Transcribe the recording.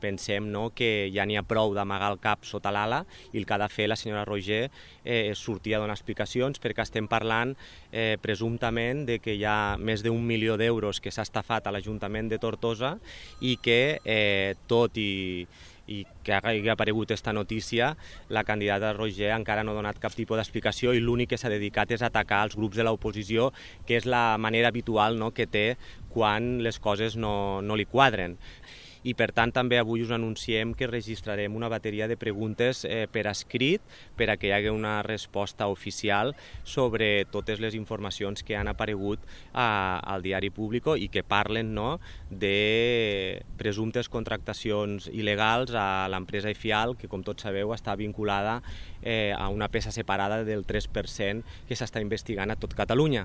pensem, no, que ja n'hi ha prou d'amagar el cap sota l'ala i el que ha de fer la senyora Roigé és sortir a donar explicacions, perquè estem parlant presumptament de que hi ha més d'1 milió d'euros que s'ha estafat a l'Ajuntament de Tortosa i que tot i que hagi aparegut aquesta notícia, la candidata Roigé encara no ha donat cap tipus d'explicació i l'únic que s'ha dedicat és atacar els grups de l'oposició, que és la manera habitual, no, que té quan les coses no li quadren. I per tant també avui us anunciem que registrarem una bateria de preguntes per escrit per a que hi hagi una resposta oficial sobre totes les informacions que han aparegut al diari Público i que parlen, no, de presumptes contractacions il·legals a l'empresa Ifial, que com tots sabeu està vinculada a una peça separada del 3% que s'està investigant a tot Catalunya.